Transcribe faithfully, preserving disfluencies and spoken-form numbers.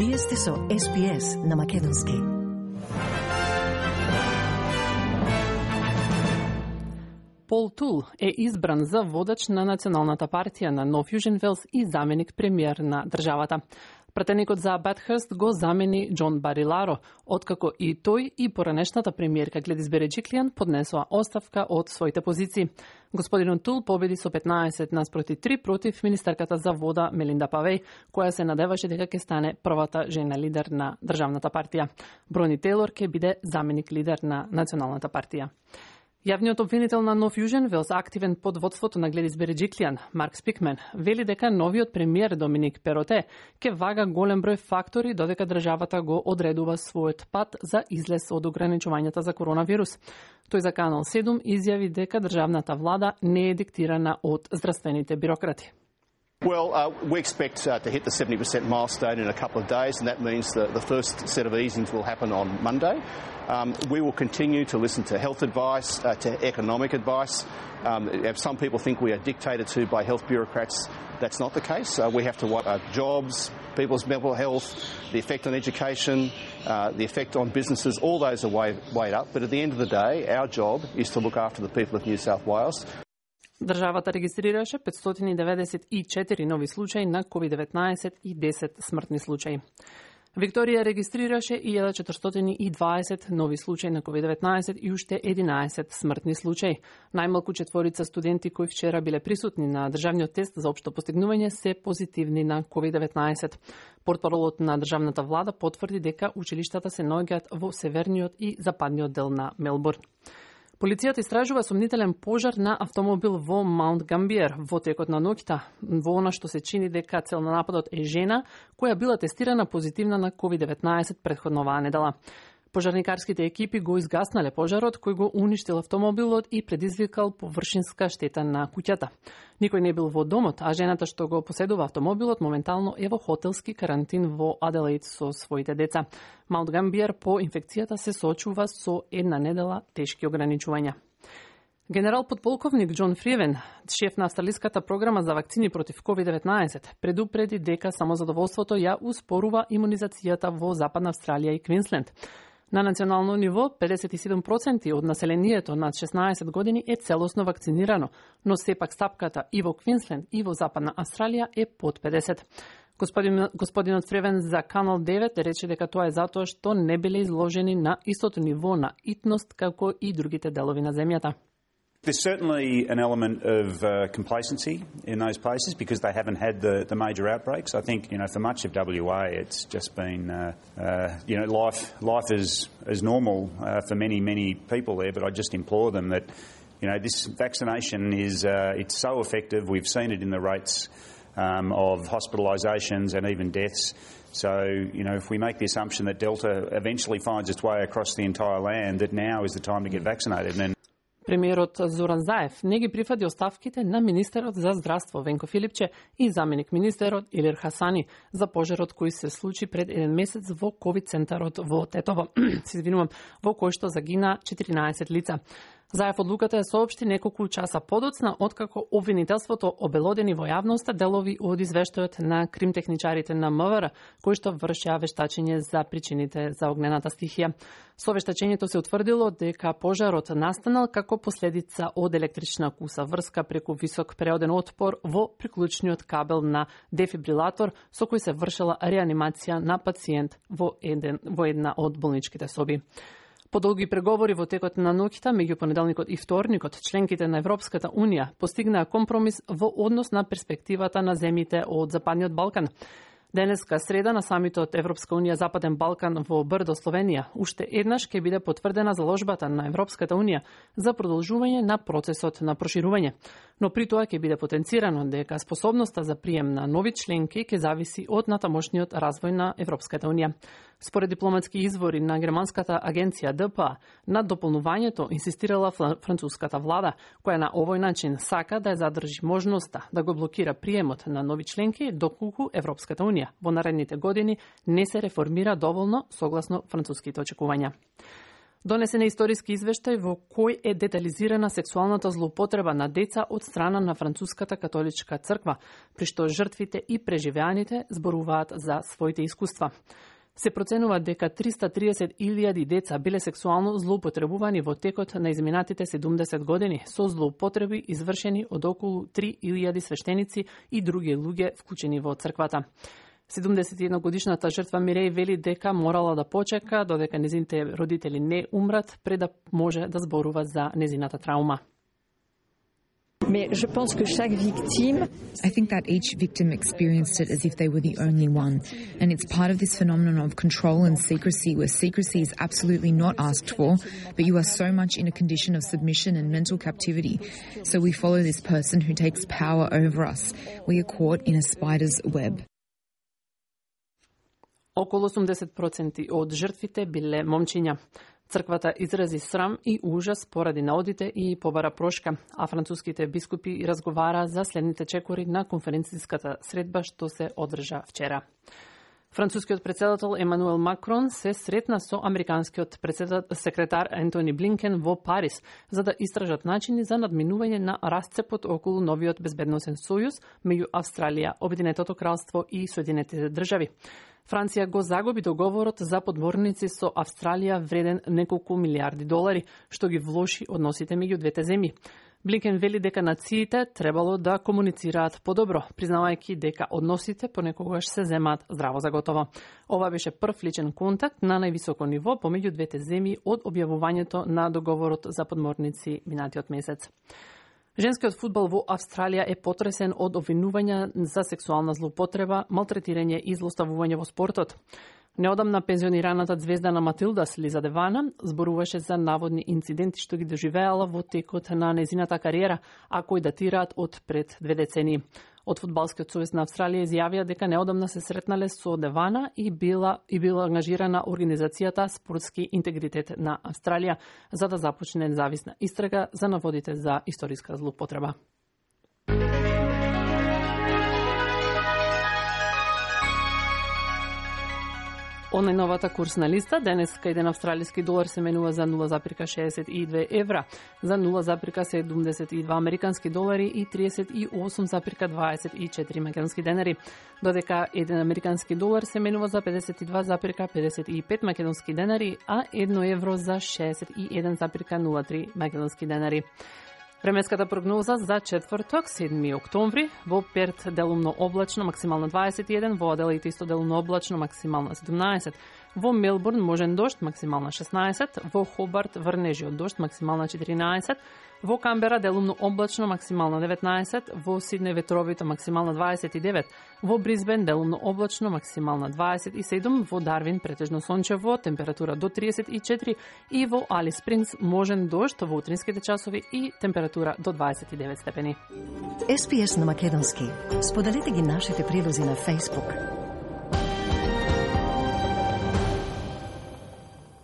Вие сте со Ес Би Ес на Македонски. Пол Тул е избран за водач на Националната партија на Нов Јужен Велс и заменик премиер на државата. Пратеникот за Бетхърст го замени Џон Бариларо, откако и тој и поранешната премиерка Гледис Береџиклијан поднесоа оставка од своите позиции. Господинот Тул победи со петнаесет наспроти три против министерката за вода Мелинда Павеј, која се надеваше дека ќе стане првата жена лидер на државната партија. Брони Тейлор ќе биде заменик лидер на Националната партија. Јавниот обвинител на Нов Јужен Велс, активен под водството на Гледис Береџиклијан, Марк Спикмен, вели дека новиот премиер Доминик Пероте ќе вага голем број фактори додека државата го одредува својот пат за излез од ограничувањата за коронавирус. Тој за Канал седум изјави дека државната влада не е диктирана од здравствените бирократи. Well, uh, we expect uh, to hit the seventy percent milestone in a couple of days, and that means the, the first set of easings will happen on Monday. Um, we will continue to listen to health advice, uh, to economic advice. Um, if some people think we are dictated to by health bureaucrats, that's not the case. Uh, we have to watch uh, jobs, people's mental health, the effect on education, uh, the effect on businesses, all those are weighed, weighed up. But at the end of the day, our job is to look after the people of New South Wales. Државата регистрираше петстотини деветдесет и четири нови случаи на ковид деветнаесет и десет смртни случаи. Викторија регистрираше илјада четиристотини и дваесет нови случаи на ковид деветнаесет и уште единаесет смртни случаи. Најмалку четворица студенти кои вчера биле присутни на државниот тест за општо постигнување се позитивни на ковид деветнаесет. Портпаролот на државната влада потврди дека училиштата се наоѓаат во северниот и западниот дел на Мелбурн. Полицијата истражува сомнителен пожар на автомобил во Маунт Гамбиер во текот на ноќта, во она што се чини дека цел на нападот е жена која била тестирана позитивна на ковид деветнаесет претходно оваа недела. Пожарникарските екипи го изгаснале пожарот кој го уништил автомобилот и предизвикал површинска штета на куќата. Никој не бил во домот, а жената што го поседува автомобилот моментално е во хотелски карантин во Аделаид со своите деца. Маунт Гамбиер по инфекцијата се соочува со една недела тешки ограничувања. Генерал подполковник Џон Фриевен, шеф на австралиската програма за вакцини против ковид деветнаесет, предупреди дека самозадоволството ја успорува имунизацијата во Западна Австралија и Квинсленд. На национално ниво, педесет и седум проценти од населението над шеснаесет години е целосно вакцинирано, но сепак стапката и во Квинсленд и во Западна Австралија е под педесет. Господин, господинот Фревен за Канал девет рече дека тоа е затоа што не биле изложени на истото ниво на итност како и другите делови на земјата. There's certainly an element of uh, complacency in those places because they haven't had the, the major outbreaks. I think, you know, for much of W A, it's just been, uh, uh, you know, life life is is normal uh, for many many people there. But I just implore them that, you know, this vaccination is uh, it's so effective. We've seen it in the rates um, of hospitalisations and even deaths. So, you know, if we make the assumption that Delta eventually finds its way across the entire land, that now is the time to get vaccinated. And Премиерот Зоран Заев не ги прифати оставките на министерот за здравство Венко Филипче и заменик министерот Илир Хасани за пожарот кој се случи пред еден месец во ковид центарот во Тетово, се извинувам, во кој што загина четиринаесет лица. Заев одлуката ја соопшти неколку часа подоцна, откако обвинителството обелодени во јавноста делови од извештајот на кримтехничарите на МВР, кои што вршеа вештачење за причините за огнената стихија. Со вештачењето се утврдило дека пожарот настанал како последица од електрична куса врска преку висок преоден отпор во приклучниот кабел на дефибрилатор со кој се вршела реанимација на пациент во, еден, во една од болничките соби. По долги преговори во текот на ноќта меѓу понеделникот и вторникот, членките на Европската Унија постигнаа компромис во однос на перспективата на земјите од Западниот Балкан. Денеска среда на самитот Европска Унија Западен Балкан во Брдо, Словенија, уште еднаш ќе биде потврдена заложбата на Европската Унија за продолжување на процесот на проширување. Но при тоа ќе биде потенцирано дека способноста за прием на нови членки ќе зависи од натамошниот развој на Европската Унија. Според дипломатски извори на германската агенција Д П А, на дополнувањето инсистирала француската влада, која на овој начин сака да ја задржи можноста да го блокира приемот на нови членки доколку Европската Унија во наредните години не се реформира доволно согласно француските очекувања. Донесен е историски извештај во кој е детализирана сексуалната злоупотреба на деца од страна на Француската католичка црква, при што жртвите и преживеаните зборуваат за своите искуства. Се проценува дека триста и триесет илјади деца биле сексуално злоупотребувани во текот на изминатите седумдесет години, со злоупотреби извршени од околу три илјади свештеници и други луѓе вклучени во црквата. седумдесет и една годишната жртва Миреј вели дека морала да почека додека незините родители не умрат пред да може да зборува за незината траума. Mais je pense que chaque victime... I think that each victim experienced it as if they were the only one. And it's part of this phenomenon of control and secrecy, where secrecy is absolutely not asked for, but you are so much in a condition of submission and mental captivity. So we follow this person who takes power over us. We are caught in a spider's web. Околу осумдесет проценти од жртвите биле момчиња. Црквата изрази срам и ужас поради наодите и побара прошка, а француските бискупи разговара за следните чекори на конференцијската средба што се одржа вчера. Францускиот претседател Емануел Макрон се сретна со американскиот секретар Ентони Блинкен во Париз за да истражат начини за надминување на расцепот околу новиот безбедносен сојуз меѓу Австралија, Обединетото кралство и Соединетите држави. Франција го загуби договорот за подморници со Австралија вреден неколку милиарди долари, што ги влоши односите меѓу двете земји. Блинкен вели дека нациите требало да комуницираат подобро, признавајќи дека односите понекогаш се земаат здраво за готово. Ова беше прв личен контакт на највисоко ниво помеѓу двете земји од објавувањето на договорот за подморници минатиот месец. Женскиот фудбал во Австралија е потресен од обвинувања за сексуална злоупотреба, малтретирање и злоставување во спортот. Неодамна пензионираната звезда Матилдас Лиза Девана зборуваше за наводни инциденти што ги доживеала во текот на незината кариера, а кои датираат од пред две децении. Од Фудбалскиот сојуз на Австралија изјавија дека неодамна се сретнале со Девана и била и била ангажирана организацијата Спортски интегритет на Австралија за да започне независна истрага за наводите за историска злоупотреба. Онлайновата курсна листа денеска еден австралиски долар се менува за нула запирка шеесет и две евра, за нула запирка седумдесет и два американски долари и триесет и осум запирка дваесет и четири македонски денари, додека еден американски долар се менува за педесет и два запирка педесет и пет македонски денари, а едно евро за шеесет и еден запирка нула три македонски денари. Временската прогноза за четврток, седми октомври, во Перт делумно облачно, максимално дваесет и еден, во Аделаид исто делумно облачно, максимално седумнаесет, во Мелбурн можен дожд, максимално шеснаесет, во Хобарт врнежи од дожд, максимално четиринаесет, во Камбера делумно облачно, максимално деветнаесет, во Сиднеј ветровито максимално дваесет и девет, во Брисбен делумно облачно, максимално дваесет и седум, во Дарвин претежно сончево, температура до триесет и четири и во Алис Спрингс можен дожд во утринските часови и температура до дваесет и девет степени. Ес Би Ес на македонски. Споделете ги нашите прилози на Facebook.